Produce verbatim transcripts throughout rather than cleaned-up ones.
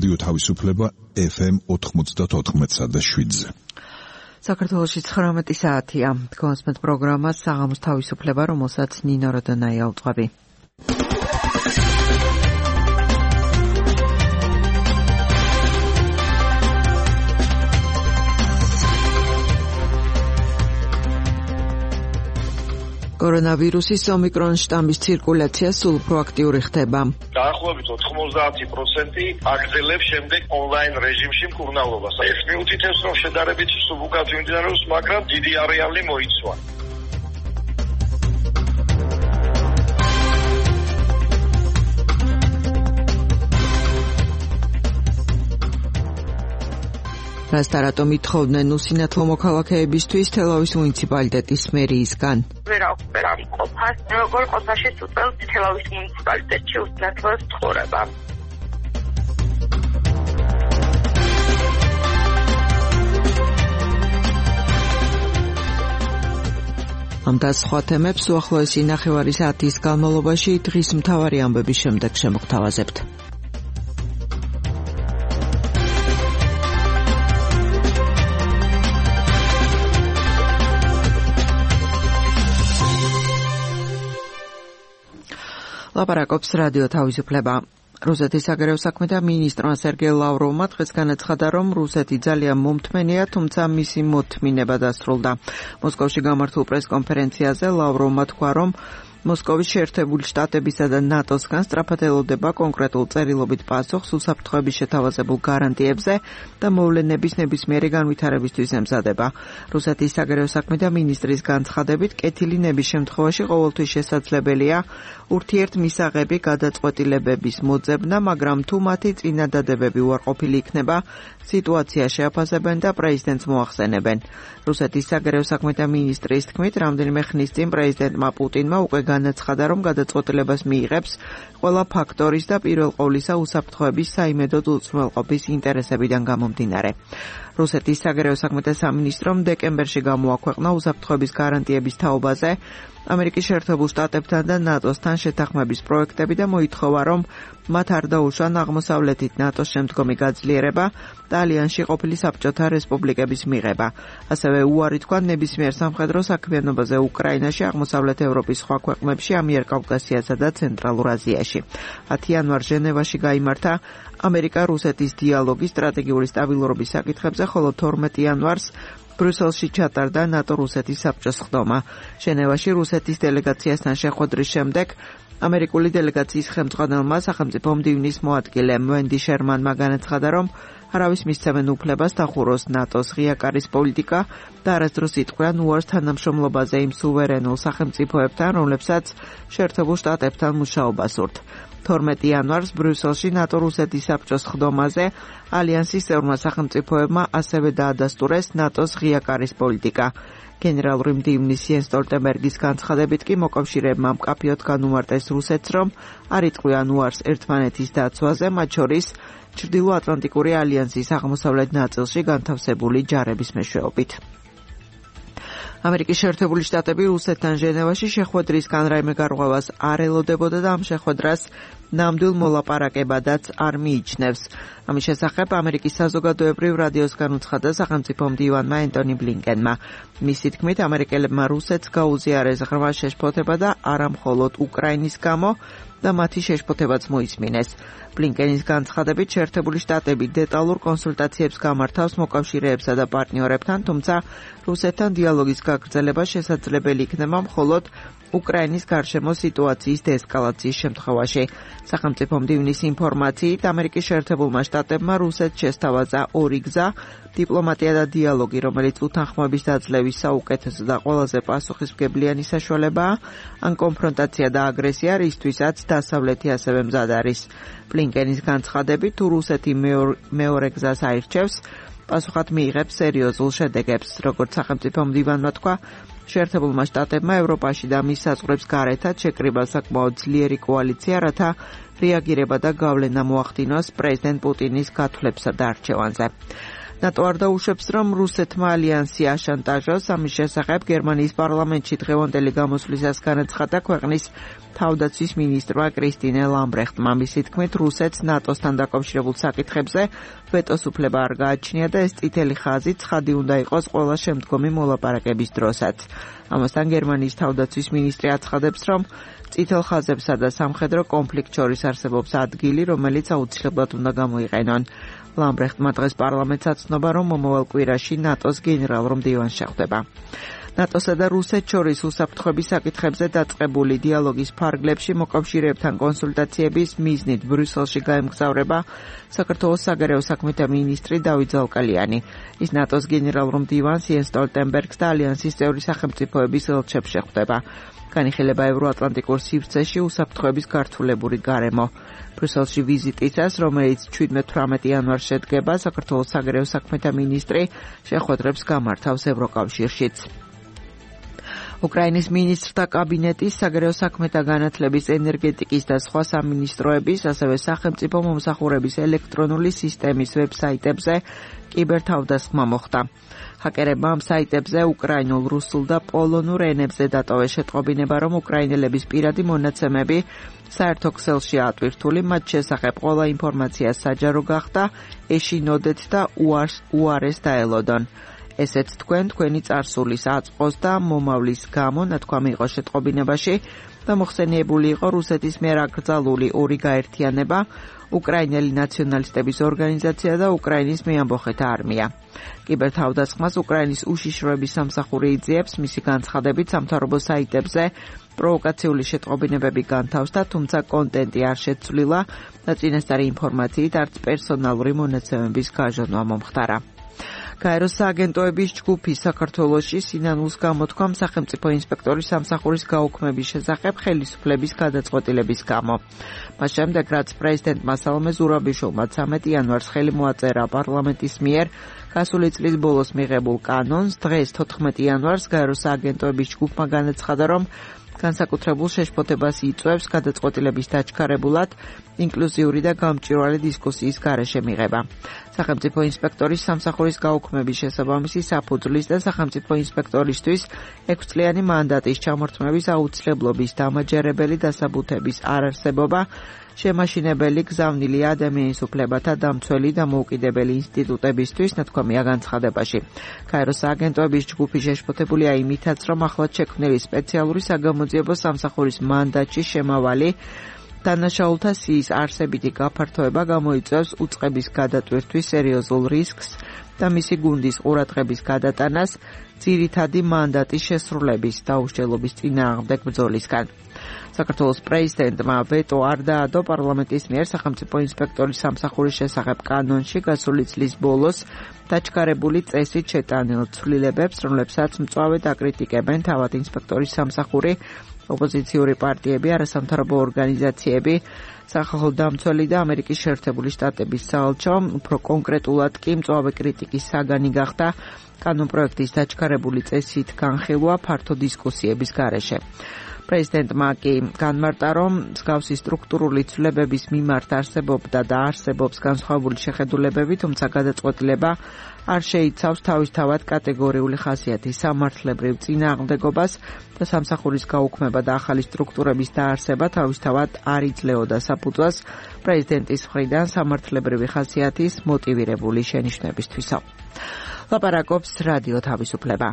რადიო თავისუფლება ეფ ემ ოთხმოცდაოთხ და შვიდზე. საქართველოში ცხრამეტი საათია. გონსმეთ პროგრამას საღამოს თავისუფლება, რომელსაც ნინო როდონაია უძღვები. კორონავირუსის ომიკრონ შტამის ცირკულაცია სულ უფრო აქტიური ხდება. დაახლოებით ოთხმოცდაათი პროცენტი აგრძელებს შემდეგ ონლაინ რეჟიმში მკურნალობას. ეს მიუთითებს, რომ შედარებით სულ უკეთ მიმდინარეობს, მაგრამ დიდი არეალი მოიცვა. რასტარატომ ითხოვდნენ უსინათლო მოქალაქეებისთვის თელავის მუნიციპალიტეტის მერიისგან. ვერ აქვს ვერ ამყოფას, როგორ ყოფაში უწევს თელავის მუნიციპალიტეტში უსინათლოს ცხოვრება. ამ და სხვა თემებს უახლოესი ნახევარი საათის განმავლობაში დღის მთავარი ამბების შემდეგ შემოგთავაზებთ. ლაპარაკობს რადიო თავისუფლება. რუსეთის საგარეო საქმეთა მინისტრმა სერგეი ლავროვმა დღეს განაცხადა, რომ რუსეთი ძალიან მომთმენია, თუმცა მისი მოთმინება დასრულდა. მოსკოვში გამართულ პრესკონფერენციაზე ლავროვმა თქვა, რომ მოსკოვის შეერთებული შტატებისა და ნატოსგან სწრაფად ელოდება კონკრეტულ წერილობით პასუხს უსაფრთხოების შეთავაზებულ გარანტიებზე და მოვლენების ნებისმიერი განვითარებისთვის ემზადება. რუსეთის საგარეო საქმეთა მინისტრის განცხადებით, კეთილინების შემთხვევაში ყოველთვის შესაძლებელია ურთიერთმისაღები გადაწყვეტილებების მოძებნა, მაგრამ თუ მათი წინადადებები უარყოფილი იქნება, სიტუაცია შეაფასებენ და პრეზიდენტს მოახსენებენ. რუსეთის საგარეო საქმეთა მინისტრის თქმით, რამდენიმე ხნის წინ პრეზიდენტმა პუტინმა უკვე განაცხადა, რომ გადაწყვეტილებას მიიღებს ყველა ფაქტორის და პირველ ყოვლისა უსაფრთხოების საიმედოდ უზრუნველყოფის ინტერესებიდან გამომდინარე. რუსეთის საგარეო საქმეთა სამინისტრომ დეკემბერში გამოაქვეყნა უსაფრთხოების გარანტიების თაობაზე ამერიკის შეერთებულ შტატებთან და ნატოსთან შეთანხმების პროექტები და მოითხოვა, რომ მათ არ დაუშვან აღმოსავლეთით ნატოს შემდგომი გაძლიერება და ალიანსში ყოფილი საბჭოთა რესპუბლიკების მიღება. ასევე უარი თქვა ნებისმიერ სამხედრო საქმიანობაზე უკრაინაში, აღმოსავლეთ ევროპის სხვა ქვეყნებში, ამიერკავკასიასა და ცენტრალურ აზიაში. ათი იანვარს ჟენევაში გაიმართა ამერიკა-რუსეთის დიალოგი სტრატეგიული სტაბილურობის საკითხებზე, ხოლო თორმეტი იანვარს ბრიუსელში ჩატარდა ნატო-რუსეთის საბჭოს ხდომა. ჟენევაში რუსეთის დელეგაციასთან შეხვედრის შემდეგ ამერიკული დელეგაციის ხელმძღვანელმა სახელმწიფო მდივნის მოადგილემ ვენდი შერმანმა განაცხადა, რომ არავის მისცემენ უფლებას დახუროს ნატოს ღია კარის პოლიტიკა და არასდროს იტყვიან უარს თანამშრომლობაზე იმ სუვერენულ სახელმწიფოებთან, რომლებსაც შეერთებულ შტატებთან მუშაობა სურთ. თორმეტი იანვარს ბრიუსელში ნატო-რუსეთის საბჭოს ხდომაზე ალიანსის წევრმა სახელმწიფოებმა ასევე დაადასტურეს ნატოს ღია კარის პოლიტიკა. გენერალური მდივნის იენს სტოლტენბერგის განცხადებით კი მოკავშირეებმა მკაფიოდ განუმარტეს რუსეთს, რომ არ იტყვიან უარს ერთმანეთის დაცვაზე, მათ შორის ჩრდილოატლანტიკური ალიანსის აღმოსავლეთ ნაწილში განთავსებული ჯარების მეშვეობით. ამერიკის შეერთებული შტატები რუსეთთან ჟენევაში შეხვედრისგან რაიმე გარღვევას არ ელოდებოდა და ამ შეხვედრას ნამდვილ მოლაპარაკებადაც არ მიიჩნევს. ამის შესახებ ამერიკის საზოგადოებრივ რადიოს განუცხადა სახელმწიფო მდივანმა ენტონი ბლინკენმა. მისი თქმით, ამერიკელებმა რუსეთს გაუზიარეს ღრმა შეშფოთება და არა მხოლოდ უკრაინის გამო და მათი შეშფოთებაც მოისმინეს. ბლინკენის განცხადებით, შეერთებული შტატები დეტალურ კონსულტაციებს გამართავს მოკავშირეებსა და პარტნიორებთან, თუმცა რუსეთთან დიალოგის გაგრძელება შესაძლებელი იქნება მხოლოდ უკრაინის გარშემო სიტუაციის დეესკალაციის შემთხვევაში. სახელმწიფო მდივნის ინფორმაციით, ამერიკის შეერთებულმა შტატებმა რუსეთს შესთავაზა ორი გზა: დიპლომატია და დიალოგი, რომელიც უთანხმოების დაძლევის საუკეთესო და ყველაზე პასუხისმგებლიანი საშუალებაა, ან კონფრონტაცია და აგრესია, რისთვისაც დასავლეთი ასევე მზად არის. ბლინკენის განცხადებით, თუ რუსეთი მეორე გზას აირჩევს, პასუხად მიიღებს სერიოზულ შედეგებს. როგორც სახელმწიფო მდივანმა თქვა, შეერთებულმა შტატებმა ევროპაში და მის საზღვრებს გარეთაც შეკრიბა საკმაოდ ძლიერი კოალიცია, რათა რეაგირება და გავლენა მოახდინოს პრეზიდენტ პუტინის გათვლებსა და არჩევანზე. ნატო არ დაუშვებს, რომ რუსეთმა ალიანსი აშანტაჟოს. ამის შესახებ გერმანიის პარლამენტში დღევანდელი გამოსვლისას განაცხადა ქვეყნის თავდაცვის მინისტრმა კრისტინე ლამბრეხტმა. მისი თქმით, რუსეთს ნატოსთან დაკავშირებულ საკითხებზე ვეტოს უფლება არ გააჩნია და ეს წითელი ხაზი ცხადი უნდა იყოს ყველა შემდგომი მოლაპარაკების დროსაც. ამასთან გერმანიის თავდაცვის მინისტრი აცხადებს, რომ წითელ ხაზებსა და სამხედრო კონფლიქტ შორის არსებობს ადგილი, რომელიც აუცილებლად უნდა გამოიყენონ. ლამბრეხტმა დღეს პარლამენტს აცნობა, რომ მომავალ კვირაში ნატოს გენერალურ მდივანს შეხვდება. ნატოსა და რუსეთს შორის უსაფრთხოების საკითხებზე დაწყებული დიალოგის ფარგლებში მოკავშირეებთან კონსულტაციების მიზნით ბრიუსელში გაემგზავრება საქართველოს საგარეო საქმეთა მინისტრი დავით ზალკალიანი. ის ნატოს გენერალურ მდივანს იენს სტოლტენბერგს და ალიანსის წევრი სახელმწიფოების ელჩებს შეხვდება. განიხილება ევროატლანტიკურ სივრცეში უსაფრთხოების გართულებური გარემო. ბრიუსელში ვიზიტისას, რომელიც შვიდმეტ-თვრამეტ იანვარს შედგება, საქართველოს საგარეო საქმეთა მინისტრი შეხვედრებს გამართავს ევროკავშირშიც. უკრაინის მინისტრთა კაბინეტის საგარეო საქმეთა განათლების, ენერგეტიკის და სხვა სამინისტროების, ასევე სახელმწიფო მომსახურების ელექტრონული სისტემის ვებსაიტებზე კიბერთავდასხმა მოხდა. ჰაკერებმა ამ საიტებზე უკრაინულ, რუსულ და პოლონურ ენებზე დატოვეს შეტყობინება, რომ უკრაინელების პირადი მონაცემები საერთო ქსელში ატვირთული, მათ შესახებ ყველა ინფორმაცია საჯარო გახდა, ეშინოდეთ და უარეს დაელოდონ. ესეც თქვენ თქვენი წარსულის აწყოს და მომავლის გამო ნათქვამი იყო შეტყობინებაში და მოხსენიებული იყო რუსეთის მიერ აკრძალული ორი გაერთიანება, უკრაინელი ნაციონალისტების ორგანიზაცია და უკრაინის მეამბოხეთა არმია. კიბერთავდასხმას უკრაინის უშიშროების სამსახური იძიებს, მისი განცხადებით სამთავრობო საიტებზე პროვოკაციული შეტყობინებები განთავსდა, თუმცა კონტენტი არ შეცვლილა და წინასწარი ინფორმაციით არც პერსონალური მონაცემების გაჟონვა მომხდარა. გაეროს სააგენტოების ჯგუფი საქართველოში სინანულს გამოთქვამ სახელმწიფო ინსპექტორის სამსახურის გაუქმების შესახებ ხელისუფლების გადაწყვეტილების გამო. მას შემდეგ, რაც პრეზიდენტმა სალომე ზურაბიშვილმა ცამეტ იანვარს ხელი მოაწერა პარლამენტის მიერ გასული წლის ბოლოს მიღებულ კანონს, დღეს თოთხმეტ იანვარს გაეროს სააგენტოების ჯგუფმა განაცხადა, რომ განსაკუთრებულ შეშფოთებას იწვევს გადაწყვეტილების დაჩქარებულად ინკლუზიური და გამჭვირვალე დისკუსიის გარეშე მიღება. სახელმწიფო ინსპექტორის სამსახურის გაუქმების შესაბამისი საფუძვლის და სახელმწიფო ინსპექტორისთვის ექვსწლიანი მანდატის ჩამორთმევის აუცილებლობის დამაჯერებელი დასაბუთების არარსებობა, შემაშინებელი გზავნილი ადამიანის უფლებათა დამცველი და მოუკიდებელი ინსტიტუტებისთვის ნათქვამია განცხადებაში. გაეროს სააგენტოების ჯგუფი შეშფოთებულია იმითაც, რომ ახლად შექმნილი სპეციალური საგამოძიებო სამსახურის მანდატში შემავალი დანაშაულთა სიის არსებითი გაფართოება გამოიწვევს უწყების გადატვირთვის სერიოზულ რისკს და მისი გუნდის ყურადღების გადატანას ძირითადი მანდატის შესრულების დაუსჯელობის წინააღმდეგ ბრძოლისგან. საქართველოს პრეზიდენტმა ვეტო არ დაადო პარლამენტის მიერ სახელმწიფო ინსპექტორის სამსახურის შესახებ კანონში გასული წლის ბოლოს დაჩქარებული წესით შეტანილ ცვლილებებს, რომლებსაც მწვავედ აკრიტიკებენ თავად ინსპექტორის სამსახური, ოპოზიციური პარტიები, არასამთავრობო ორგანიზაციები, სახალხო დამცველი და ამერიკის შეერთებული შტატების საელჩო. უფრო კონკრეტულად კი მწვავე კრიტიკის საგანი გახდა კანონპროექტის დაჩქარებული წესით განხილვა ფართო დისკუსიების გარეშე. პრეზიდენტმა კი განმარტა, რომ მსგავსი სტრუქტურული ცვლილებების მიმართ არსებობდა და არსებობს განსხვავებული შეხედულებები, თუმცა გადაწყვეტილება არ შეიცავს თავისთავად კატეგორიული ხასიათის სამართლებრივ წინააღმდეგობას და სამსახურის გაუქმება და ახალი სტრუქტურების დაარსება თავისთავად არ იძლეოდა საფუძველს პრეზიდენტის მხრიდან სამართლებრივი ხასიათის მოტივირებული შენიშვნებისთვისო. ლაპარაკობს რადიო თავისუფლება.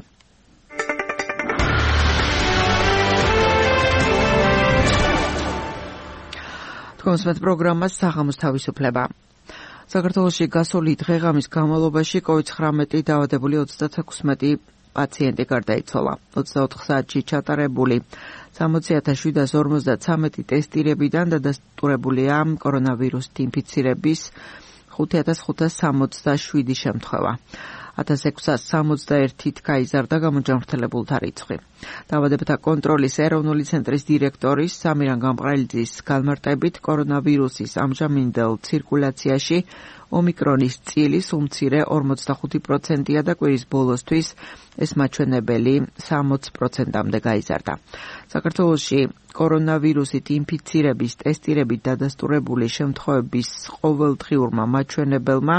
თქვენს პროგრამას საღამოს თავისუფლება. საქართველოში გასული დღე-ღამის განმავლობაში კოვიდ ცხრამეტი დაავადებული ოცდათექვსმეტი პაციენტი გარდაიცვალა. ოცდაოთხ საათში ჩატარებული სამოცი ათას შვიდას ორმოცდათვრამეტი ტესტირებიდან დადასტურებულია კორონავირუსით ინფიცირების ხუთი ათას ხუთას სამოცდაშვიდი შემთხვევა. ათას ექვსას სამოცდაერთით გაიზარდა გამოჯანმრთელებულთა რიცხვი. დაავადებათა კონტროლის ეროვნული ცენტრის დირექტორის სამირან გამყრელიძის განმარტებით, კორონავირუსის ამჟამინდელ ცირკულაციაში ომიკრონის წილის უმცირე ორმოცდახუთი პროცენტია და კვირის ბოლოსთვის ეს მაჩვენებელი სამოცი პროცენტამდე გაიზარდა. საქართველოში კორონავირუსით ინფიცირების ტესტირებით დადასტურებული შემთხვევების ყოველდღიურმა მაჩვენებელმა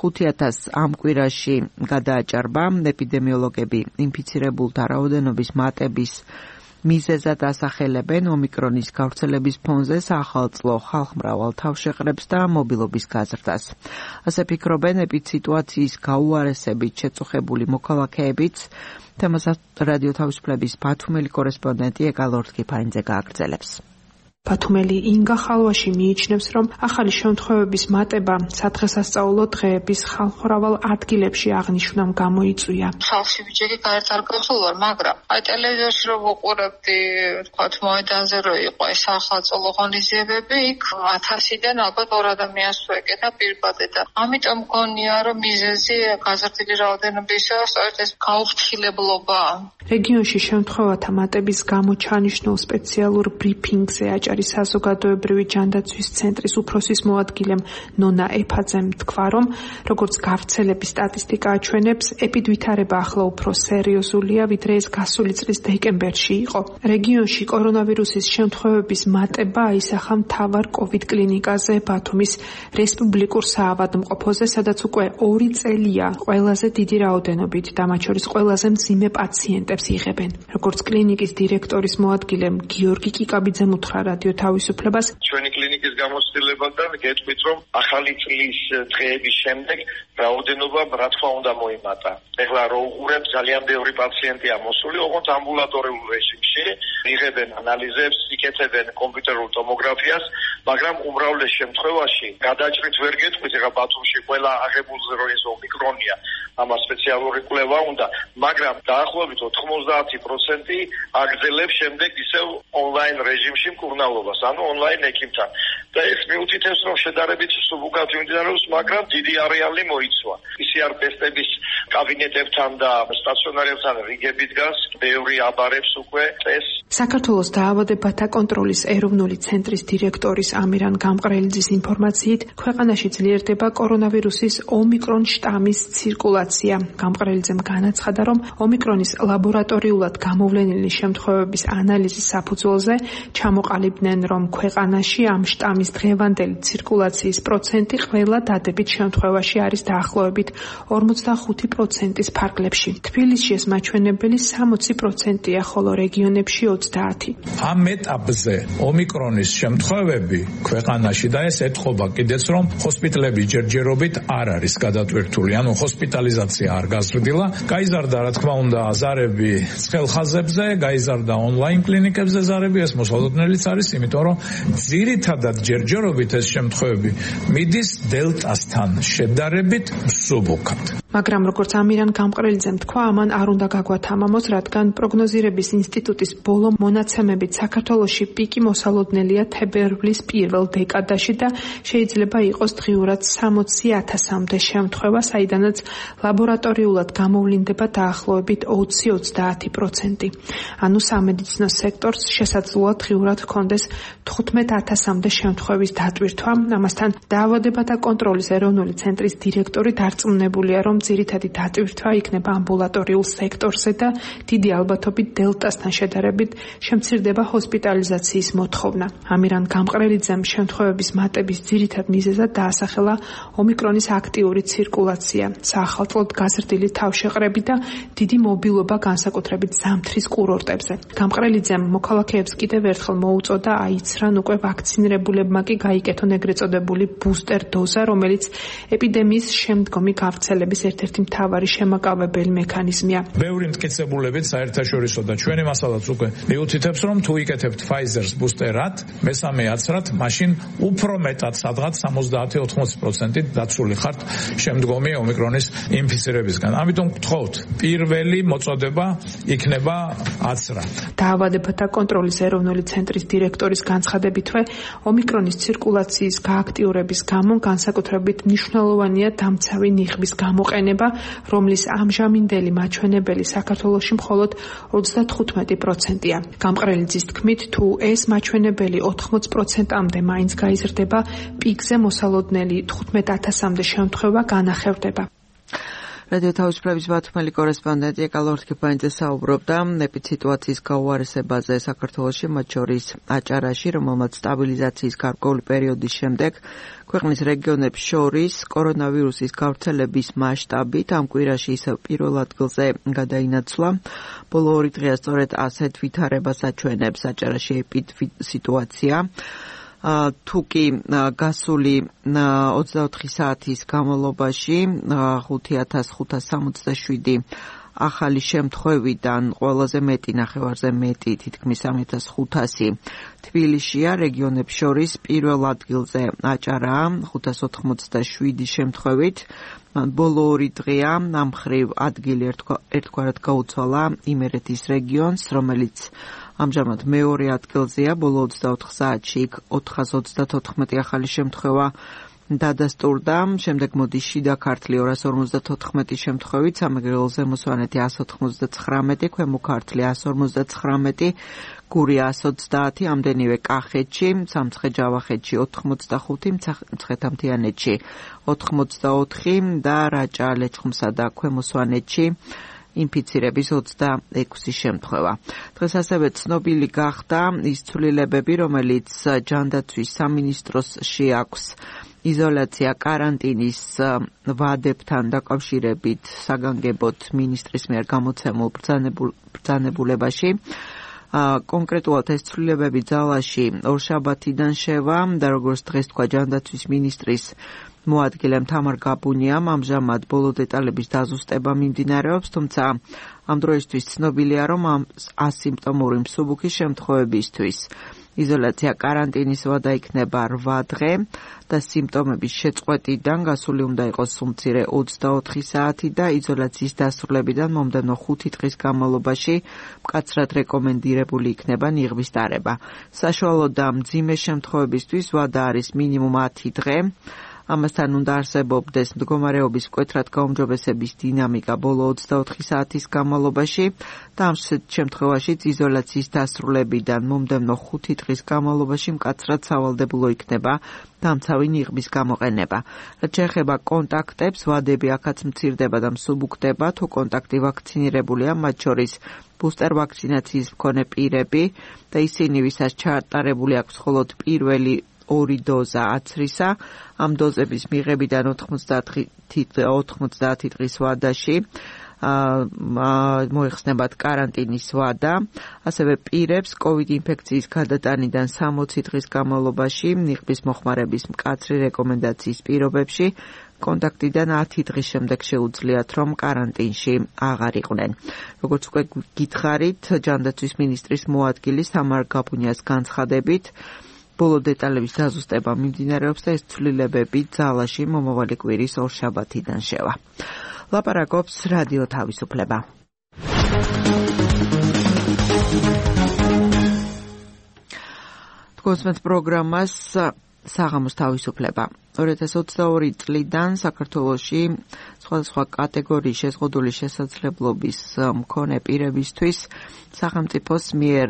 ხუთი ათასს ამ კვირაში გადააჭარბა. ეპიდემიოლოგები ინფიცირებულთა რაოდენობის მატების მიზეზად ასახელებენ ომიკრონის გავრცელების ფონზე სახალწლო ხალხმრავალ თავშეყრებს და მობილობის გაზრდას. ასე ფიქრობენ ეპიდსიტუაციის გაუარესებით შეწუხებული მოქალაქეებიც. თემას რადიო თავისუფლების ბათუმელი კორესპონდენტი ეკალორდ კიფარინძე გააგრძელებს. ბათუმელი ინგა ხალვაში მიიჩნევს, რომ ახალი შემთხვევების მატება სადღესასწაულო დღეების ხალხმრავალ ადგილებში აღნიშვნამ გამოიწვია. ხალხში ბიჭები გარეთ არ გასულვარ, მაგრამ აი ტელევიზორში რომ ვუყურებდი, თქვათ მოედანზე რო იყო ეს სახელმწიფო ღონისძიებები, იქ ათასიდან ალბათ ორ ადამიანს ვეკეთა პირბადე და ამიტომ მგონია, რომ მიზეზი გაზრდილი რაოდენობისა სწორედ ეს გაუფრთხილებლობაა. რეგიონში შემთხვევათა მატების გამო ჩანიშნულ სპეციალურ ბრიფინგზე აჭარის საზოგადოებრივი ჯანდაცვის ცენტრის უფროსის მოადგილემ ნონა ეფაძემ თქვა, რომ როგორც გავრცელების სტატისტიკა აჩვენებს, ეპიდვითარება ახლა უფრო სერიოზულია, ვიდრე ეს გასული წლის დეკემბერში იყო. რეგიონში კორონავირუსის შემთხვევების მატება აისახა მთავარ კოვიდ კლინიკაზე ბათუმის რესპუბლიკურ საავადმყოფოზე, სადაც უკვე ორი წელია ყველაზე დიდი რაოდენობით და მათ შორის ყველაზე მძიმე პაციენტებს იღებენ. როგორც კლინიკის დირექტორის მოადგილემ გიორგი კიკაბიძემ უთხრა რადიო თავისუფლებას, ჩვენი კლინიკის გამოცდილებიდან გეტყვით, რომ ახალი წლის დღეების შემდეგ რაოდენობა რა თქმა უნდა მოიმატა. ეხლა რო უყურებ, ძალიან ბევრი პაციენტია მოსული, ოღონდ ამბულატორიულ რეჟიმში, იღებენ ანალიზებს, იკეთებენ კომპიუტერულ ტომოგრაფიას, მაგრამ უმრავლეს შემთხვევაში გადაჭრით ვერ გეტყვით, ეხლა ბათუმში ყველა აღებულზე რო ეს ომიკრონია, ამას სპეციალური კვლევა უნდა, მაგრამ დაახლოებით ოთხმოცდაათი პროცენტი აგრძელებს შემდეგ ისევ ონლაინ რეჟიმში მკურნალობას, ანუ ონლაინ ექიმთან. და ეს მიუთითებს, რომ შედარებით სუბუქად მიმდინარეობს, მაგრამ დიდი არეალი მოიცვა. პი სი არ ტესტების კაბინეტებთან და სტაციონარებთან რიგები დგას, ბევრი აბარებს უკვე ეს. საქართველოს დაავადებათა კონტროლის ეროვნული ცენტრის დირექტორის ამირან გამყრელიძის ინფორმაციით, ქვეყანაში ძლიერდება კორონავირუსის ომიკრონ შტამის ცირკულაცია. გამყრელიძემ განაცხადა, რომ ომიკრონის ლაბორატორიულად გამოვლენილი შემთხვევების ანალიზის საფუძველზე ჩამოყალიბდნენ, რომ ქვეყანაში ამ შტამის დღევანდელი ცირკულაციის პროცენტი ყველა დადებით შემთხვევაში არის დაახლოებით ორმოცდახუთი პროცენტის ფარგლებში. თბილისში ეს მაჩვენებელი სამოცი პროცენტია, ხოლო რეგიონებში ოცდაათი. ამ ეტაპზე ომიკრონის შემთხვევები ქვეყანაში და ეს ეთყობა კიდეც, რომ ჰოსპიტალები ჯერჯერობით არ არის გადატვირთული, ანუ ჰოსპიტალიზაცია არ გაზრდილა. გაიზარდა, რა თქმა უნდა, ზარები ცხელ ხაზებზე, გაიზარდა ონლაინ კლინიკებზე ზარები, ეს მოსალოდნელიც არის, იმიტომ რომ ძირითადად ჯერჯერობით ეს შემთხვევები მიდის დელტასთან შედარებით მსუბუქად. მაგრამ როგორც ამირან გამყრელიძემ თქვა, ამან არ უნდა გაგვათამამოს, რადგან პროგნოზირების ინსტიტუტის ბოლო მონაცემებით საქართველოში პიკი მოსალოდნელია თებერვლის პირველ დეკადაში და შეიძლება იყოს დღიურად სამოცი ათასამდე შემთხვევა, საიდანაც ლაბორატორიულად გამოვლინდება დაახლოებით ოცი ოცდაათი პროცენტი. ანუ სამედიცინო სექტორს შესაძლოა დღიურად ჰქონდეს თხუთმეტ ათასამდე შემთხვევის დატვირთვა. ამასთან დაავადებათა კონტროლის ეროვნული ცენტრის დირექტორი დარწმუნებულია, რომ ძირითადი დატვირთვა იქნება ამბულატორიულ სექტორზე და დიდი ალბათობით დელტასთან შედარებით შემცირდება ჰოსპიტალიზაციის მოთხოვნა. ამირან გამყრელიძემ შემთხვევების მატების ძირითად მიზეზად დაასახელა ომიკრონის აქტიური ცირკულაცია, საახალწლოდ გაზრდილი თავშეყრები და დიდი მობილობა განსაკუთრებით ზამთრის კურორტებზე. გამყრელიძემ მოქალაქეებს კიდევ ერთხელ მოუწოდა აიცრან უკვე ვაქცინირებულებმა კი გაიკეთონ ეგრეთ წოდებული ბუსტერ დოზა, რომელიც ეპიდემიის შემდგომი გავრცელების ერთ-ერთი მთავარი შემაკავებელი მექანიზმია. ბევრი მტკიცებულებით საერთაშორისო და ჩვენი მასალაც უკვე მიუთითებს, რომ თუ იკეთებთ Pfizer-ს ბუსტერად, მესამე აცრად, მაშინ უფრო მეტად სადღაც სამოცდაათი ოთხმოცი პროცენტი დაცული ხართ შემდგომი ომიკრონის ინფიცირებისგან. ამიტომ გთხოვთ, პირველი მოწოდება იქნება აცრად. დაავადებათა კონტროლის ეროვნული ცენტრის დირექტორის განცხადებითვე, ომიკრონის ცირკულაციის გააქტიურების გამო განსაკუთრებით მნიშვნელოვანია დამცავი ნიღბის გამოყენება, რომლის ამჟამინდელი მაჩვენებელი საქართველოში მხოლოდ ოცდათხუთმეტი პროცენტია. გამყრელიძის თქმით, თუ ეს მაჩვენებელი ოთხმოც პროცენტამდე მაინც გაიზრდება, პიკზე მოსალოდნელი თხუთმეტ ათასამდე შემთხვევა განახევდება. რადიო თავისუფლების ბათუმელი კორესპონდენტი ეკალორ თქიფანიძე საუბრობდა ეპიდემიის გაუარესებაზე საქართველოში, მათ შორის აჭარაში, რომელმაც სტაბილიზაციის გარკვეული პერიოდის შემდეგ ქვეყნის რეგიონებს შორის კორონავირუსის გავრცელების მასშტაბით ამ კვირაში ისევ პირველ ადგილზე გადაინაცვლა. ბოლო ორი დღეა სწორედ ასეთ ვითარებას აჩვენებს აჭარაში ეპიდემიის სიტუაცია. თუ კი გასული ოცდაოთხი საათის განმავლობაში ხუთი ათას ხუთას სამოცდაშვიდი ახალი შემთხვევიდან ყველაზე მეტი ნახევარზე მეტი თითქმის სამი ათას ხუთასი თბილისშია, რეგიონებს შორის პირველ ადგილზე აჭარაა ხუთას ოთხმოცდაშვიდი შემთხვევით. ბოლო ორი დღეა ამ მხრივ ადგილი ერთგვარად გაუცვალა იმერეთის რეგიონს, რომელიც ამჟამად მეორე ადგილზეა. ბოლო ოცდაოთხ საათში იქ ოთხას ოცდათოთხმეტი ახალი შემთხვევა დადასტურდა. შემდეგ მოდის შიდა ქართლი ორას ორმოცდათოთხმეტი შემთხვევით, სამეგრელო ზემო სვანეთი ასს ოთხმოცდაცხრამეტი, ქვემო ქართლი ასს ორმოცდაცხრამეტი, გურია ასს ოცდაათი, ამდენივე კახეთში, სამცხე-ჯავახეთში ოთხმოცდახუთი, მცხეთა-მთიანეთში ოთხმოცდაოთხი და რაჭა, ლეჩხუმსა და ქვემო სვანეთში ინფიცირების ოცდაექვსი შემთხვევა. დღეს ასევე ცნობილი გახდა ის ცვლილებები, რომელიც ჯანდაცვის სამინისტროს შეაქვს იზოლაცია კარანტინის ვადებთან დაკავშირებით საგანგებოდ მინისტრის მიერ გამოცემულ ბრძანებულებაში. კონკრეტულად ეს ცვლილებები ძალაში ორშაბათიდან შევა და როგორც დღეს თქვა ჯანდაცვის მინისტრის მოადგილემ თამარ გაბუნიამ, ამჟამად ბოლო დეტალების დაზუსტება მიმდინარეობს, თუმცა ამ დროისთვის ცნობილია, რომ ამ ასიმპტომური მსუბუქი შემთხვევებისთვის იზოლაცია კარანტინის ვადა იქნება რვა დღე და სიმპტომების შეწყვეტიდან გასული უნდა იყოს სულ-მცირე ოცდაოთხი საათი და იზოლაციის დასრულებიდან მომდევნო ხუთი დღის განმავლობაში მკაცრად რეკომენდირებული იქნება ნიღბის დარება. საშუალო და მძიმე შემთხვევებისთვის ვადა არის მინიმუმ ათი დღე. ამასთან უნდა არსებობდეს მდგომარეობის მკვეთრად გაუმჯობესების დინამიკა ბოლო ოცდაოთხი საათის განმავლობაში და ამ შემთხვევაშიც იზოლაციის დასრულებიდან მომდევნო ხუთი დღის განმავლობაში მკაცრად სავალდებულო იქნება დამცავი ნიღბის გამოყენება. რაც შეეხება კონტაქტებს, ვადები აქაც მცირდება და მსუბუქდება, თუ კონტაქტი ვაქცინირებულია, მათ შორის ბუსტერ ვაქცინაციის მქონე პირები და ისინი, ვისაც ჩაატარებული აქვს მხოლოდ პირველი ორი დოზა აცრისა, ამ დოზების მიღებიდან ოთხმოცდაათი დღის ვადაში მოიხსნებათ კარანტინის ვადა. ასევე პირებს კოვიდ ინფექციის გადატანიდან სამოცი დღის განმავლობაში ნიღბის მოხმარების მკაცრი რეკომენდაციის პირობებში კონტაქტიდან ათი დღის შემდეგ შეუძლიათ, რომ კარანტინში აღარ იყვნენ. როგორც უკვე გითხარით, ჯანდაცვის მინისტრის მოადგილის თამარ გაბუნიას განცხადებით, ბოლო დეტალების დაზუსტება მიმდინარეობს და ეს ცვლილებები ძალაში მომავალი კვირის ორშაბათიდან შევა. ლაპარაკობს რადიო თავისუფლება. თქვენს პროგრამას საღამოს თავისუფლება. ორი ათას ოცდაორი წლიდან საქართველოში სხვადასხვა კატეგორიის შეზღუდული შესაძლებლობის მქონე პირებისთვის სახელმწიფოს მიერ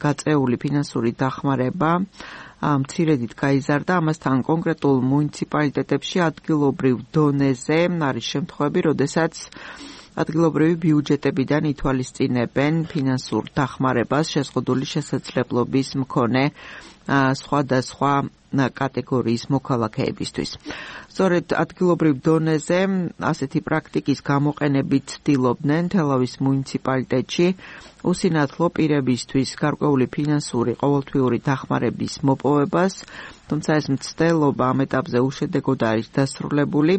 გაწეული ფინანსური დახმარება მცირედით გაიზარდა. ამასთან კონკრეტულ მუნიციპალიტეტებში ადგილობრივ დონეზე არის შემთხვევები, როდესაც ადგილობრივი ბიუჯეტებიდან ითვალისწინებენ ფინანსურ დახმარებას შეზღუდული შესაძლებლობის მქონე სხვადასხვა კატეგორიის მოქალაქეებისთვის. სწორედ ადგილობრივ დონეზე ასეთი პრაქტიკის გამოყენებით ცდილობდნენ თელავის მუნიციპალიტეტში უსინათლო პირებისთვის გარკვეული ფინანსური ყოველთვიური დახმარების მოპოვებას, თუმცა ეს მცდელობა ამ ეტაპზე უშედეგოდ არის დასრულებული.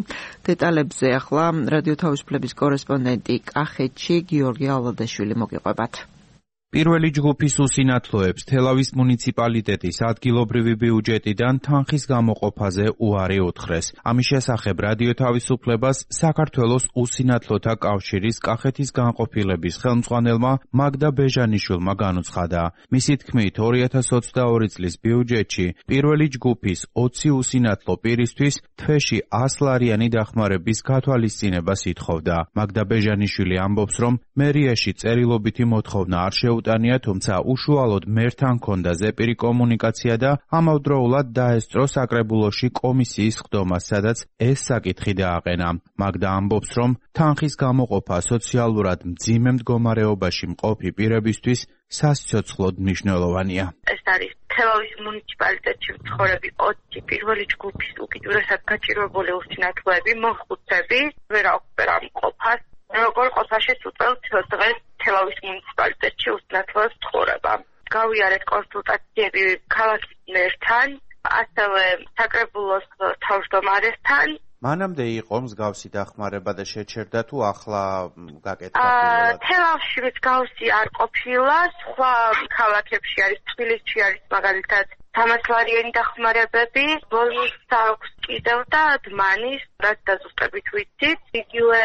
დეტალებზე ახლა რადიო თავისუფლების კორესპონდენტი კახეთში გიორგი ალადაშვილი მოგიყვებათ. პირველი ჯგუფის უსინათლოებს თელავის მუნიციპალიტეტის ადგილობრივი ბიუჯეტიდან თანხის გამოყოფაზე უარი უთხრეს. ამის შესახებ რადიო თავისუფლებას საქართველოს უსინათლოთა კავშირის კახეთის განყოფილების ხელმძღვანელმა მაგდა ბეჟანიშვილმა განუცხადა. მისი თქმით, ორი ათას ოცდაორი წლის ბიუჯეტში პირველი ჯგუფის ოცი უსინათლო პირისთვის თვეში ასლარიანი დახმარების გათვალისწინებას ითხოვდა. მაგდა ბეჟანიშვილი ამბობს, რომ მერიაში წერილობითი მოთხოვნა არ შეუძლია შეუტანია, თუმცა უშუალოდ მერთან ჰქონდა ზეპირი კომუნიკაცია და ამავდროულად დაესწრო საკრებულოში კომისიის ხდომა, სადაც ეს საკითხი დააყენა. მაგდა ამბობს, რომ თანხის გამოყოფა სოციალურად მძიმე მდგომარეობაში მყოფი პირებისთვის სასიცოცხლოდ მნიშვნელოვანია. ეს არის თელავის მუნიციპალიტეტში მცხოვრები ოცი პირველი ჯგუფის უკიდურესად გაჭირვებული უსინათლოები, მოხუცები, ვერ აქვს ვერ ამყოფას. როგორ ყოფაში უწევთ დღეს თელავის მუნიციპალიტეტში უსინათლოებს ცხოვრება. გავიარეთ კონსულტაციები ქალაქის მერთან, ასევე საკრებულოს თავმჯდომარესთან. მანამდე იყო მსგავსი დახმარება და შეჩერდა თუ ახლა გაკეთდა პირველად? თელავში მსგავსი არ ყოფილა, სხვა ქალაქებში არის, თბილისში არის მაგალითად სამას ლარიანი დახმარებები, ბოლოს აქვს კიდევ და დმანის, რაც დაზუსტებით ვიცით, იგივე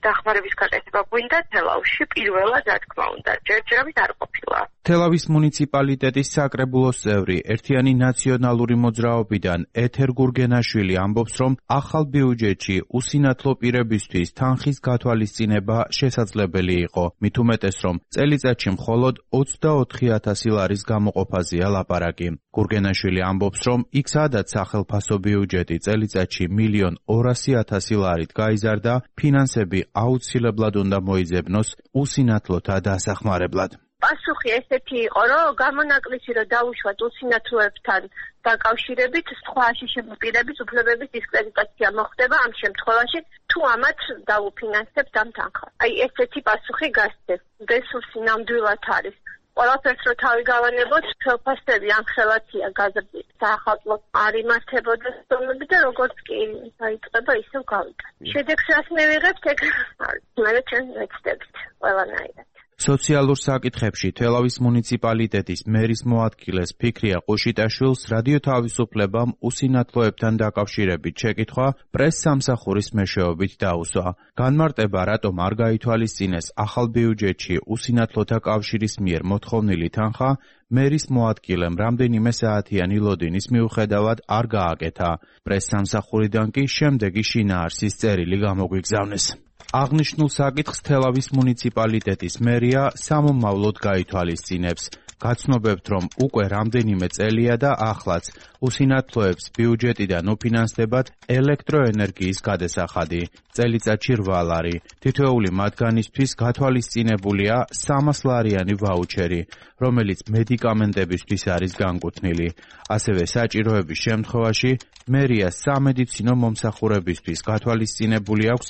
დახმარების გაკეთება გვინდა თელავში პირველად, რა თქმა უნდა, ჯერჯერობით არ ყოფილა. თელავის მუნიციპალიტეტის საკრებულოს წევრი, ერთიანი ნაციონალური მოძრაობიდან ეთერ გურგენაშვილი ამბობს, რომ ახალ ბიუჯეტში უსინათლო პირებისთვის თანხის გათვალისწინება შესაძლებელი იყო. მით უმეტეს, რომ წელიწადში მხოლოდ ოცდაოთხი ათასი ლარის გამოყოფაზეა ლაპარაკი. გურგენაშვილი ამბობს, რომ იქ სადაც სახელმწიფო ბიუჯეტი წელიწადში მილიონ ორასი ათასი ლარით გაიზარდა, ფინანსები აუცილებლად უნდა მოიძებნოს უსინათლოთა დასახმარებლად. პასუხი ესეთი იყო, რომ გამონაკლისი რომ დაუშვათ უსინათლოებთან დაკავშირებით სხვა აშიშებული პირების უფლებების დისკრედიტაცია მოხდება ამ შემთხვევაში, თუ ამათ დაუფინანსებთ ამ თანხას. აი ესეთი პასუხი გასცეს. რესურსი ნამდვილად არის. ყველაფერს რო თავი გავანებოთ, ხელფასები ამხელათია გაზრდილი. საახალწლო არ იმართებოდა სტომები და როგორც კი დაიწყება, ისევ გავიდა. შედეგს რას მივიღებთ, ეგ არის. მე ჩვენ ვეცდებით ყველანაირად. სოციალურ საკითხებში თელავის მუნიციპალიტეტის მერის მოადგილეს ფიქრია ყუშიტაშვილს რადიო თავისუფლებამ უსინათლოებთან დაკავშირებით შეკითხვა პრეს-სამსახურის მეშვეობით დაუსვა. განმარტება, რატომ არ გაითვალისწინეს ახალ ბიუჯეტში უსინათლოთა კავშირის მიერ მოთხოვნილი თანხა, მერის მოადგილემ რამდენიმე საათიანი ლოდინის მიუხედავად არ გააკეთა. პრეს-სამსახურიდან კი შემდეგი შინაარსის წერილი გამოგვიგზავნეს. აღნიშნულ საკითხს თელავის მუნიციპალიტეტის მერია სამომავლოდ გაითვალისწინებს. გაცნობებთ, რომ უკვე რამდენიმე წელია და ახლაც უსინათლოებს ბიუჯეტიდან უფინანსდებათ ელექტროენერგიის გადასახადი, წელიწადში რვა ლარი. თითოეული მათგანისთვის გათვალისწინებულია სამას ლარიანი ვაუჩერი, რომელიც მედიკამენტებისთვის არის განკუთვნილი. ასევე საჭიროების შემთხვევაში მერია სამედიცინო მომსახურებისთვის გათვალისწინებული აქვს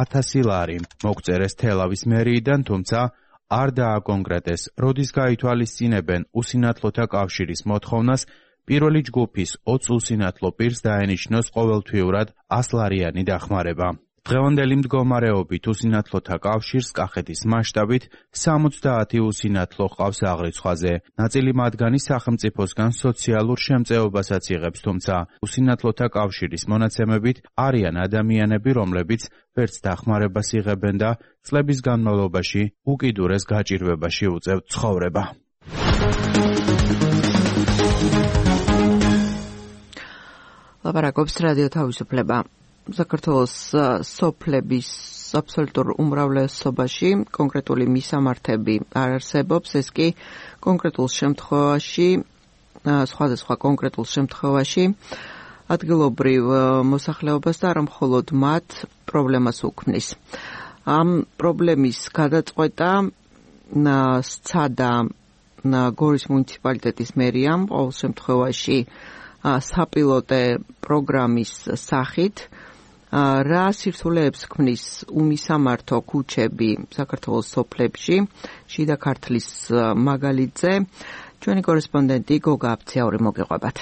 ათასი ლარი. მოგწერეს თელავის მერიიდან, თუმცა არ დააკონკრეტეს, როდის გაითვალისწინებენ უსინათლოთა კავშირის მოთხოვნას პირველი ჯგუფის ოცი უსინათლო პირს დაენიშნოს ყოველთვიურად ასლარიანი დახმარება. დღევანდელი მდგომარეობით უსინათლოთა კავშირს კახეთის მასშტაბით სამოცდაათი უსინათლო ჰყავს აღრიცხვაზე. ნაწილი მათგანი სახელმწიფოსგან სოციალურ შემწეობასაც იღებს, თუმცა უსინათლოთა კავშირის მონაცემებით არიან ადამიანები, რომლებიც ვერც დახმარებას იღებენ და წლების განმავლობაში უკიდურეს გაჭირვებაში უწევთ ცხოვრება. ლაპარაკობს რადიო თავისუფლება. საქართველოს სოფლების აბსოლუტურ უმრავლესობაში კონკრეტული მისამართები არ არსებობს, ეს კი კონკრეტულ შემთხვევაში, სხვადასხვა კონკრეტულ შემთხვევაში ადგილობრივ მოსახლეობას და არა მხოლოდ მათ პრობლემას უქმნის. ამ პრობლემის გადაწყვეტა სცადა გორის მუნიციპალიტეტის მერიამ ყოველ შემთხვევაში საპილოტე პროგრამის სახით. რა სირთულეებს ქმნის უმისამართო ქუჩები საქართველოს სოფლებში, შიდა ქართლის მაგალითზე, ჩვენი კორესპონდენტი გოგა აფციაური მოგეყვებათ.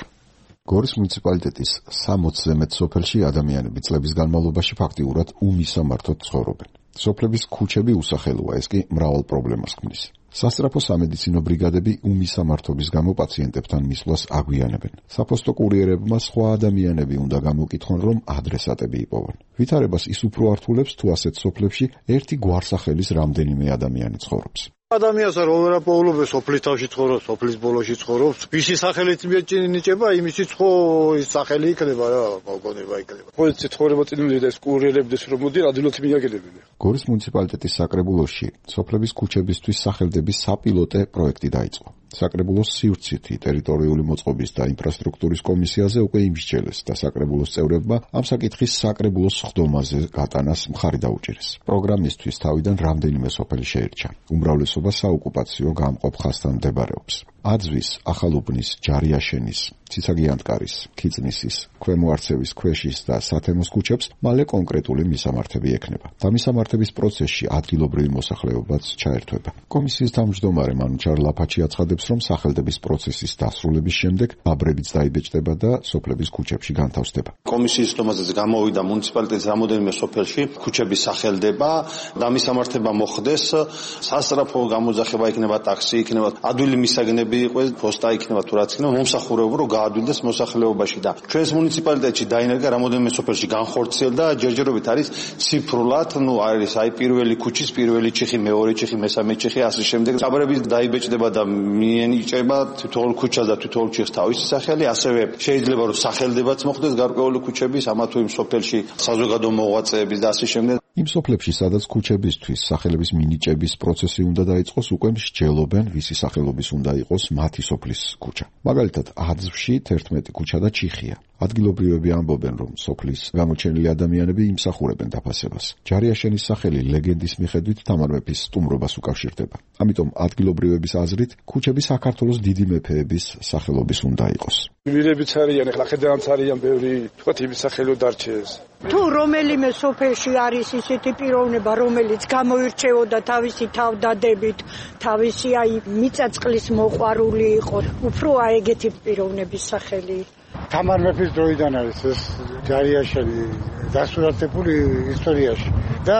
გორის მუნიციპალიტეტის სამოცზე მეტ სოფელში ადამიანები წლების განმავლობაში ფაქტიურად უმისამართოდ ცხოვრობენ. სოფლების ქუჩები უსახელოა, ეს კი მრავალ პრობლემას ქმნის. სასწრაფო სამედიცინო ბრიგადები უმისამართობის გამო პაციენტებთან მისვლას აგვიანებენ. საფოსტო კურიერებმა სხვა ადამიანები უნდა გამოკითხონ, რომ ადრესატები იპოვონ. ვითარებას ის უფრო ართულებს, თუ ასეთ სოფლებში ერთი გვარსახელის რამდენიმე ადამიანი ცხოვრობს. ადამიანს რა პოულობეს სოფლის თავში ცხოვრობს, სოფლის ბოლოში ცხოვრობს. ვისი სახელით მიეჭინიჭება, იმისიც ხო ის სახელი იქნება რა, მოგონება იქნება. ხო ეს ცხოვრება წინული და ეს კურიერებდეს რომ მოდი ადვილად მიაგებდნენ. გორის მუნიციპალიტეტის საკრებულოში სოფლების ქუჩებისთვის სახელდების საპილოტე პროექტი დაიწყო. საკრებულოს სივრცითი ტერიტორიული მოწყობის და ინფრასტრუქტურის კომისიაზე უკვე იმსჯელეს და საკრებულოს წევრებმა ამ საკითხის საკრებულოს სხდომაზე გატანას მხარი დაუჭირეს. პროგრამისთვის თავიდან რამდენიმე სოფელი შეირჩა. უმრავლესობა საოკუპაციო გამყოფ ხაზთან მდებარეობს. აძვის, ახალუბნის, ჯარიაშენის, ციცაგიანტკარის, ქიწნისის, ქვემო არცევის, ქვეშის და სათემოს ქუჩებს მალე კონკრეტული მისამართები ექნება. და მისამართების პროცესში ადგილობრივი მოსახლეობაც ჩაერთვება. კომისიის თავმჯდომარე მანუჩარ ლაფაჩი აცხადებს, რომ სახელდების პროცესის დასრულების შემდეგ ბაბრებიც დაიბეჭდება და სოფლების ქუჩებში განთავსდება. კომისიის სხდომაზეც გამოვიდა მუნიციპალიტეტის რამოდენიმე სოფელში ქუჩების სახელდება და მისამართება მოხდეს, სასწრაფო გამოძახება იქნება, ტაქსი იქნება, ადვილი მისაგნები იყოს, პოსტა იქნება თუ რაც იქნება, მომსახურება რომ გაადვილდეს მოსახლეობაში და ჩვენს მუნიციპალიტეტში დაინერგა რამოდენიმე სოფელში განხორციელდა ჯერჯერობით არის ციფრულად, ну არის აი პირველი ქუჩის პირველი ჩიხი, მეორე ჩიხი, მესამე ჩიხი, ასე შემდეგ. ბაბრების დაიბეჭდება და მიენიჭება თითოეულ ქუჩას და თითოეულ ჩიხს თავისი სახელი, ასევე შეიძლება რომ სახელდებაც მოხდეს გარკვეული ქუჩების, ამა თუ იმ სოფელში საზოგადო მოღვაწეების და ასე შემდეგ. იმ სოფლებში, სადაც ქუჩებისთვის სახელების მინიჭების პროცესი უნდა დაიწყოს, უკვე მსჯელობენ, ვისი სახელობის უნდა იყოს მათი სოფლის ქუჩა. მაგალითად, აძვში თერთმეტი ქუჩა და ჩიხია. ადგილობრივები ამბობენ, რომ სოფლის გამოჩენილი ადამიანები იმსახურებენ დაფასებას. ჯარიაშენის სახელი ლეგენდის მიხედვით თამარ მეფის სტუმრობას უკავშირდება. ამიტომ ადგილობრივების აზრით, ქუჩები საქართველოს დიდი მეფეების სახელობის უნდა იყოს. მირებიც არიან, ახლა ხედავთ არიან ბევრი, თქვათ იმის სახელო დარჩეს. თუ რომელიმე სოფელში არის ისეთი პიროვნება, რომელიც გამოირჩეოდა თავისი თავდადებით, თავისი აი მიწაწყლის მოყვარული იყო, უფრო აი ეგეთი პიროვნების სახელი. თამარ მეფის დროიდან არის ეს ჯარიაშენი დასურათებული ისტორიაში და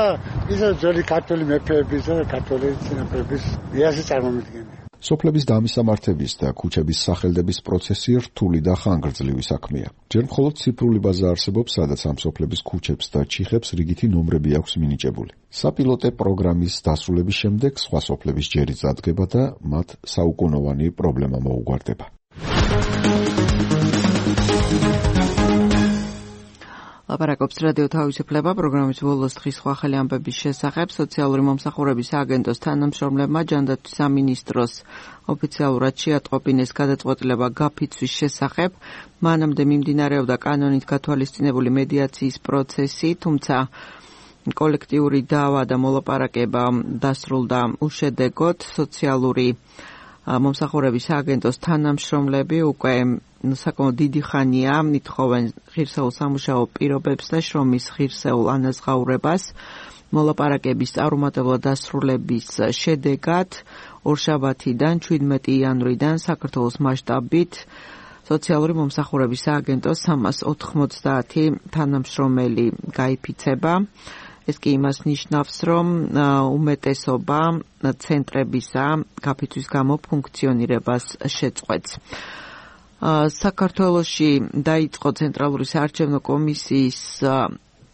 ის ძველი ქართული მეფეების და ქართული წინაპრების იასი წარმომადგენელი. სოფლების დამისამართების და ქუჩების სახელდების პროცესი რთული და ხანგრძლივი საქმეა. ჯერ მხოლოდ ციფრული ბაზა არსებობს, სადაც ამ სოფლების ქუჩებს და ჩიხებს რიგითი ნომრები აქვს მინიჭებული. საპილოტე პროგრამის დასრულების შემდეგ სხვა სოფლების ჯერიც დადგება და მათ საუკუნოვანი პრობლემა მოუგვარდება. ლაპარაკობს რადიო თავისუფლება პროგრამის ბოლოს დღის სხვა ახალი ამბების შესახებ. სოციალური მომსახურების სააგენტოს თანამშრომლებმა ჯანდაცვის სამინისტროს ოფიციალურად შეატყობინეს გადაწყვეტილება გაფიცვის შესახებ. მანამდე მიმდინარეობდა კანონით გათვალისწინებული მედიაციის პროცესი, თუმცა კოლექტიური დავა და მოლაპარაკება დასრულდა უშედეგოდ. სოციალური მომსახურების სააგენტოს თანამშრომლები უკვე საკმაოდ დიდი ხანია ითხოვენ ღირსეულ სამუშაო პირობებს და შრომის ღირსეულ ანაზღაურებას. მოლაპარაკების წარუმატებლად დასრულების შედეგად ორშაბათიდან ჩვიდმეტი იანვრიდან საქართველოს მასშტაბით სოციალური მომსახურების სააგენტოს სამას ოთხმოცდაათი თანამშრომელი გაიფიცება. ეს კი იმას ნიშნავს, რომ უმეტესობა ცენტრებისა გაფიცვის გამო ფუნქციონირებას შეწყვეტს. საქართველოში დაიწყო ცენტრალური საარჩევნო კომისიის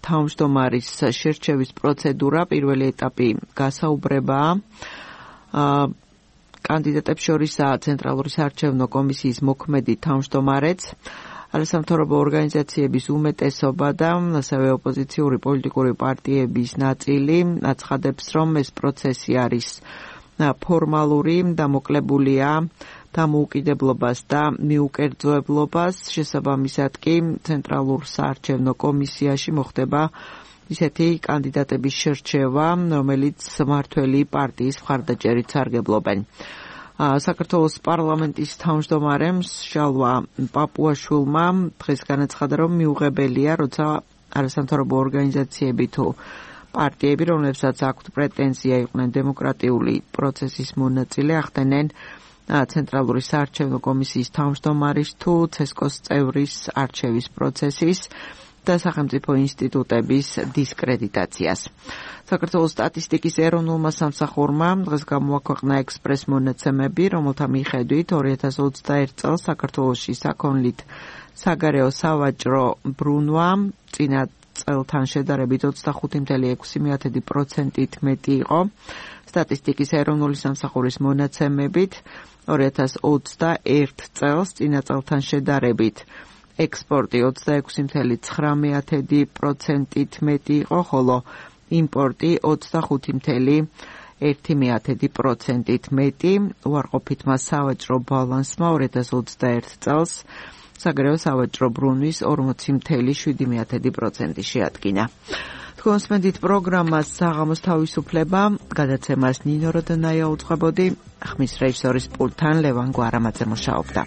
თავმჯდომარის შერჩევის პროცედურა, პირველი ეტაპი გასაუბრებაა. კანდიდატებს შორისაა ცენტრალური საარჩევნო კომისიის მოქმედი თავმჯდომარეც, არასამთავრობო ორგანიზაციების უმეტესობა და ასევე ოპოზიციური პოლიტიკური პარტიების ნაწილი აცხადებს, რომ ეს პროცესი არის ფორმალური, დამოკლებულია დამოუკიდებლობას და მიუკერძოებლობას. შესაბამისად კი ცენტრალურ საარჩევნო კომისიაში მოხდება ისეთი კანდიდატების შერჩევა, რომელიც მმართველი პარტიის მხარდაჭერით სარგებლობენ. საქართველოს პარლამენტის თავმჯდომარემ შალვა პაპუაშვილმა დღეს განაცხადა, რომ მიუღებელია, როცა არასამთავრობო ორგანიზაციები თუ პარტიები, რომლებსაც აქვთ პრეტენზია იყვნენ დემოკრატიული პროცესის მონაწილე, ახდენენ ცენტრალური საარჩევნო კომისიის თავმჯდომარის თუ ცესკოს წევრის არჩევის პროცესის და სახელმწიფო ინსტიტუტების დისკრედიტაციას. საქართველოს სტატისტიკის ეროვნულმა სამსახურმა დღეს გამოაქვეყნა ექსპრეს მონაცემები, რომელთა მიხედვით ორი ათას ოცდაერთი წელს საქართველოში საქონლით საგარეო სავაჭრო ბრუნვა წინა წელთან შედარებით ოცდახუთი კoma ექვსი პროცენტით მეტი იყო. სტატისტიკის ეროვნული სამსახურის მონაცემებით ორი ათას ოცდაერთ წელს წინა წელთან შედარებით ექსპორტი ოცდაექვსი კoma ცხრამეტი პროცენტით მეტი იყო, ხოლო იმპორტი ოცდახუთი კoma ერთი პროცენტით მეტი. უარყოფითმა სავაჭრო ბალანსმა ორი ათას ოცდაერთ წელს საგარეო სავაჭრო ბრუნვის ორმოცი კoma შვიდი პროცენტი შეადგინა. კონსპენდით პროგრამას საღამოს თავისუფლება გადაცემას ნინო როდონაია უძღვებოდი, ხმის რეჟისორის პულტთან ლევან გვარამაძე მუშაობდა.